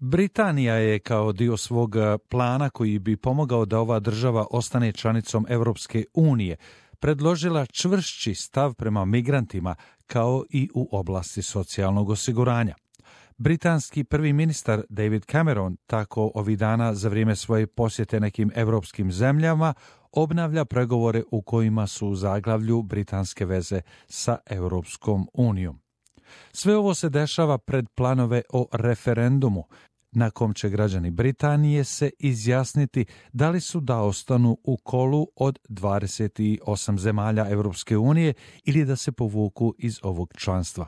Britanija je kao dio svog plana koji bi pomogao da ova država ostane članicom Europske unije predložila čvršći stav prema migrantima kao i u oblasti socijalnog osiguranja. Britanski prvi ministar David Cameron tako ovih dana za vrijeme svoje posjete nekim europskim zemljama obnavlja pregovore u kojima su u zaglavlju britanske veze sa Europskom unijom. Sve ovo se dešava pred planove o referendumu, na kom će građani Britanije se izjasniti da li su da ostanu u kolu od 28 zemalja Europske unije ili da se povuku iz ovog članstva.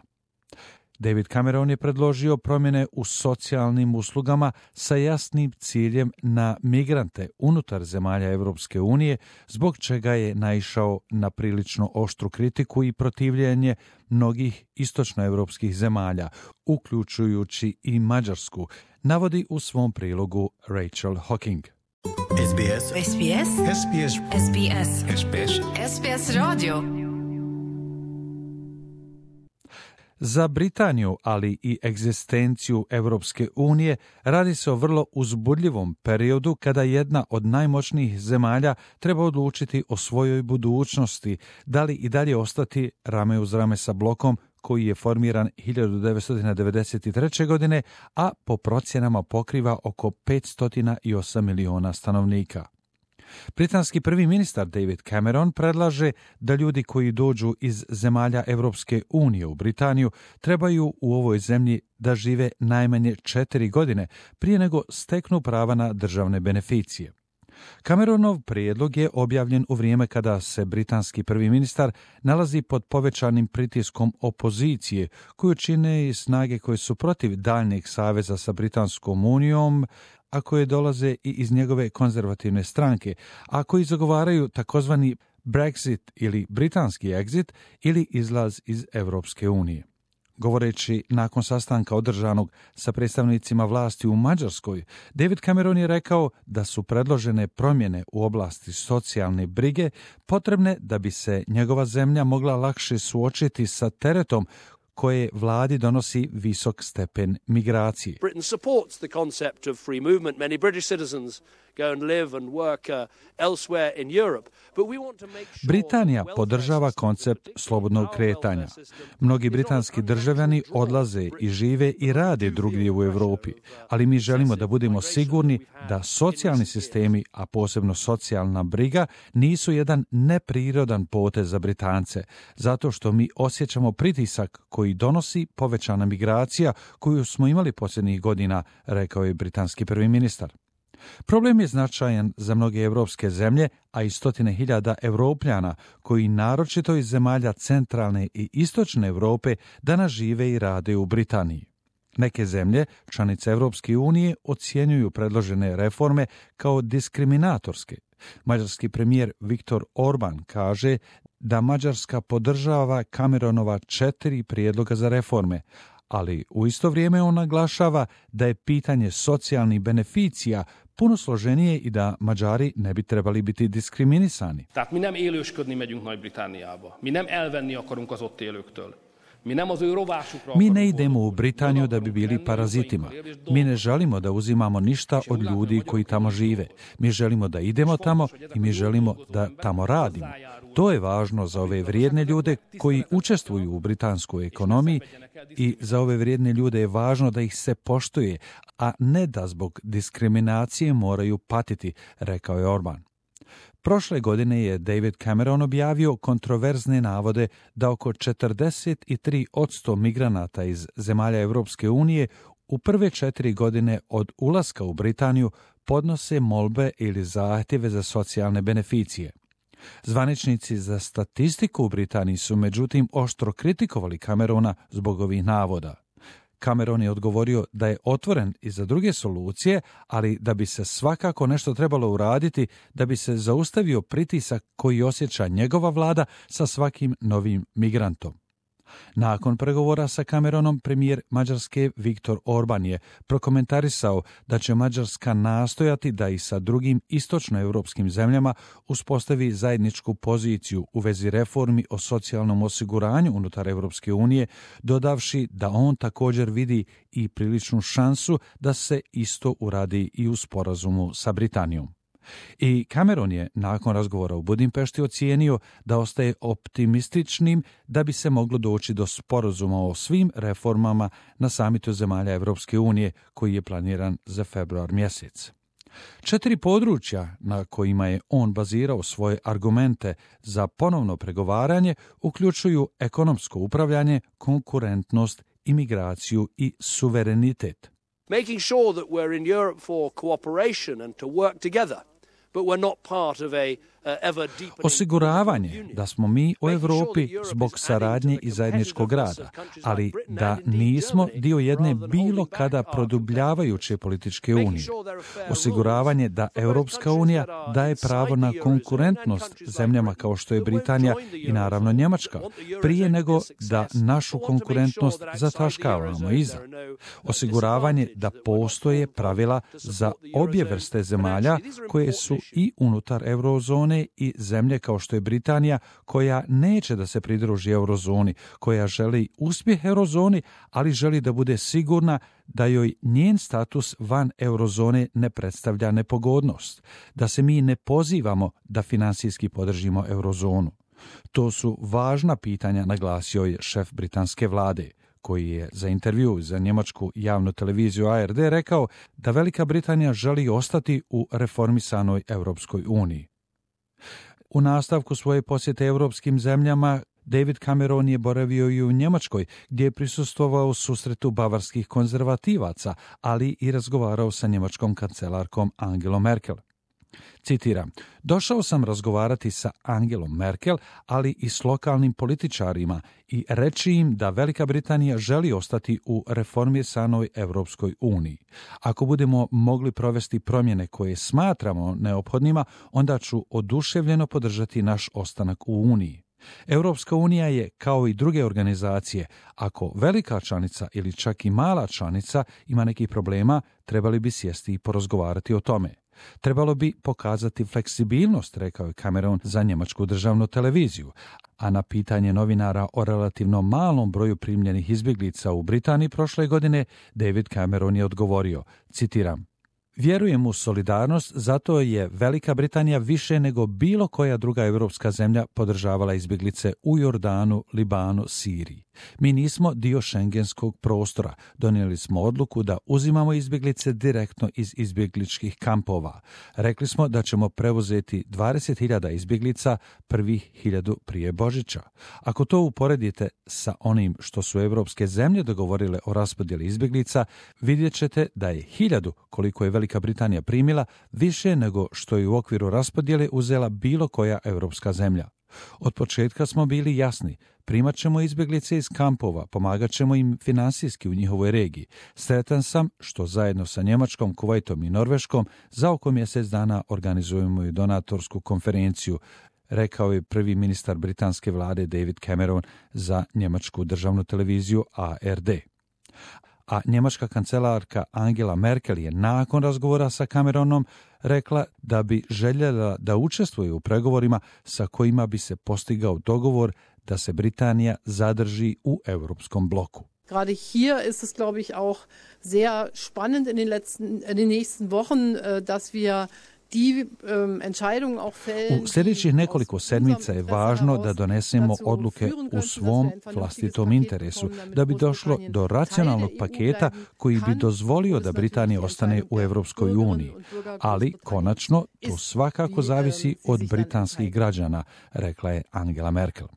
David Cameron je predložio promjene u socijalnim uslugama sa jasnim ciljem na migrante unutar zemalja Europske unije, zbog čega je naišao na prilično oštru kritiku i protivljenje mnogih istočnoevropskih zemalja, uključujući i Mađarsku, navodi u svom prilogu Rachel Hocking. SBS SBS SBS SBS SBS SBS Radio. Za Britaniju, ali i egzistenciju Europske unije, radi se o vrlo uzbudljivom periodu kada jedna od najmoćnijih zemalja treba odlučiti o svojoj budućnosti, da li i dalje ostati rame uz rame sa blokom koji je formiran 1993. godine, a po procjenama pokriva oko 508 miliona stanovnika. Britanski prvi ministar David Cameron predlaže da ljudi koji dođu iz zemalja Europske unije u Britaniju trebaju u ovoj zemlji da žive najmanje 4 godine prije nego steknu prava na državne beneficije. Cameronov prijedlog je objavljen u vrijeme kada se britanski prvi ministar nalazi pod povećanim pritiskom opozicije, koju čine i snage koje su protiv daljnjeg saveza sa Britanskom unijom, a koje dolaze i iz njegove konzervativne stranke, a koji zagovaraju takozvani Brexit ili britanski exit ili izlaz iz Europske unije. Govoreći nakon sastanka održanog sa predstavnicima vlasti u Mađarskoj, David Cameron je rekao da su predložene promjene u oblasti socijalne brige potrebne da bi se njegova zemlja mogla lakše suočiti sa teretom koje vladi donosi visok stepen migracije. Britain supports the concept of free movement. Many British citizens go and live and work elsewhere in Europe. But we want to make sure Britanija podržava koncept slobodnog kretanja. Mnogi britanski državljani odlaze i žive i rade drugdje u Europi, ali mi želimo da budemo sigurni da socijalni sistemi, a posebno socijalna briga, nisu jedan neprirodan potez za Britance, zato što mi osjećamo pritisak koji donosi povećana migracija koju smo imali posljednjih godina, rekao je britanski prvi ministar. Problem je značajan za mnoge evropske zemlje, a i stotine hiljada Evropljana koji naročito iz zemalja centralne i istočne Europe danas žive i rade u Britaniji. Neke zemlje, članice Europske unije, ocjenjuju predložene reforme kao diskriminatorske. Mađarski premijer Viktor Orban kaže da Mađarska podržava Cameronova 4 prijedloga za reforme, ali u isto vrijeme on naglašava da je pitanje socijalnih beneficija puno složenije i da Mađari ne bi trebali biti diskriminisani. Tehát mi nem élősködni megyünk Nagy-Britanniába. Mi nem elvenni akarunk az ott élőktől. Mi ne idemo u Britaniju da bi bili parazitima. Mi ne želimo da uzimamo ništa od ljudi koji tamo žive. Mi želimo da idemo tamo i mi želimo da tamo radimo. To je važno za ove vrijedne ljude koji učestvuju u britanskoj ekonomiji i za ove vrijedne ljude je važno da ih se poštuje, a ne da zbog diskriminacije moraju patiti, rekao je Orban. Prošle godine je David Cameron objavio kontroverzne navode da oko 43% migranata iz zemalja Europske unije u prve 4 godine od ulaska u Britaniju podnose molbe ili zahtjeve za socijalne beneficije. Zvaničnici za statistiku u Britaniji su međutim oštro kritikovali Camerona zbog ovih navoda. Cameron je odgovorio da je otvoren i za druge solucije, ali da bi se svakako nešto trebalo uraditi da bi se zaustavio pritisak koji osjeća njegova vlada sa svakim novim migrantom. Nakon pregovora sa Cameronom, premijer Mađarske Viktor Orban je prokomentarisao da će Mađarska nastojati da i sa drugim istočnoevropskim zemljama uspostavi zajedničku poziciju u vezi reformi o socijalnom osiguranju unutar Europske unije, dodavši da on također vidi i priličnu šansu da se isto uradi i u sporazumu sa Britanijom. I Cameron je nakon razgovora u Budimpešti ocijenio da ostaje optimističnim da bi se moglo doći do sporazuma o svim reformama na samitu zemalja Europske unije koji je planiran za februar mjesec. 4 područja na kojima je on bazirao svoje argumente za ponovno pregovaranje uključuju ekonomsko upravljanje, konkurentnost, imigraciju i suverenitet. Making sure that we're in Europe for cooperation and to work together, but we're not part of a osiguravanje da smo mi u Europi zbog saradnje i zajedničkog rada, ali da nismo dio jedne bilo kada produbljavajuće političke unije. Osiguravanje da Europska unija daje pravo na konkurentnost zemljama kao što je Britanija i naravno Njemačka, prije nego da našu konkurentnost zataškavamo iza. Osiguravanje da postoje pravila za obje vrste zemalja koje su i unutar eurozone i zemlje kao što je Britanija, koja neće da se pridruži eurozoni, koja želi uspjeh eurozoni, ali želi da bude sigurna da joj njen status van eurozone ne predstavlja nepogodnost, da se mi ne pozivamo da financijski podržimo eurozonu. To su važna pitanja, naglasio je šef britanske vlade, koji je za intervju za njemačku javnu televiziju ARD rekao da Velika Britanija želi ostati u reformisanoj Europskoj uniji. U nastavku svoje posjete europskim zemljama, David Cameron je boravio i u Njemačkoj, gdje je prisustvovao susretu bavarskih konzervativaca, ali i razgovarao sa njemačkom kancelarkom Angelom Merkel. Citiram, došao sam razgovarati sa Angelom Merkel, ali i s lokalnim političarima i reći im da Velika Britanija želi ostati u reformisanoj Europskoj uniji. Ako budemo mogli provesti promjene koje smatramo neophodnima, onda ću oduševljeno podržati naš ostanak u Uniji. Europska unija je, kao i druge organizacije, ako velika članica ili čak i mala članica ima nekih problema, trebali bi sjesti i porazgovarati o tome. Trebalo bi pokazati fleksibilnost, rekao je Cameron za njemačku državnu televiziju, a na pitanje novinara o relativno malom broju primljenih izbjeglica u Britaniji prošle godine, David Cameron je odgovorio, citiram, vjerujem u solidarnost, zato je Velika Britanija više nego bilo koja druga europska zemlja podržavala izbjeglice u Jordanu, Libanu, Siriji. Mi nismo dio šengenskog prostora. Donijeli smo odluku da uzimamo izbjeglice direktno iz izbjegličkih kampova. Rekli smo da ćemo preuzeti 20.000 izbjeglica, prvih 1.000 prije Božića. Ako to uporedite sa onim što su europske zemlje dogovorile o raspodjeli izbjeglica, vidjet ćete da je 1.000, koliko je Velika Britanija primila, više nego što je u okviru raspodjele uzela bilo koja europska zemlja. Od početka smo bili jasni, primat ćemo izbjeglice iz kampova, pomagat ćemo im finansijski u njihovoj regiji. Sretan sam što zajedno sa Njemačkom, Kuvajtom i Norveškom za oko mjesec dana organizujemo i donatorsku konferenciju, rekao je prvi ministar britanske vlade David Cameron za njemačku državnu televiziju ARD. A njemačka kancelarka Angela Merkel je nakon razgovora sa Cameronom rekla da bi željela da učestvuje u pregovorima sa kojima bi se postigao dogovor da se Britanija zadrži u europskom bloku. Gerade hier ist es, glaube ich, auch sehr spannend in den nächsten Wochen, dass wir u sljedećih nekoliko sedmica je važno da donesemo odluke u svom vlastitom interesu, da bi došlo do racionalnog paketa koji bi dozvolio da Britanija ostane u Europskoj uniji. Ali, konačno, to svakako zavisi od britanskih građana, rekla je Angela Merkel.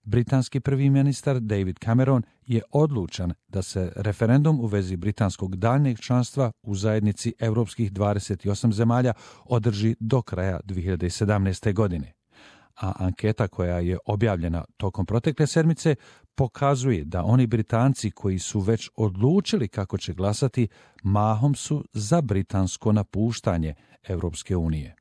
Britanski prvi ministar David Cameron je odlučan da se referendum u vezi britanskog daljnjeg članstva u zajednici europskih 28 zemalja održi do kraja 2017. godine. A anketa koja je objavljena tokom protekle sedmice pokazuje da oni Britanci koji su već odlučili kako će glasati, mahom su za britansko napuštanje Europske unije.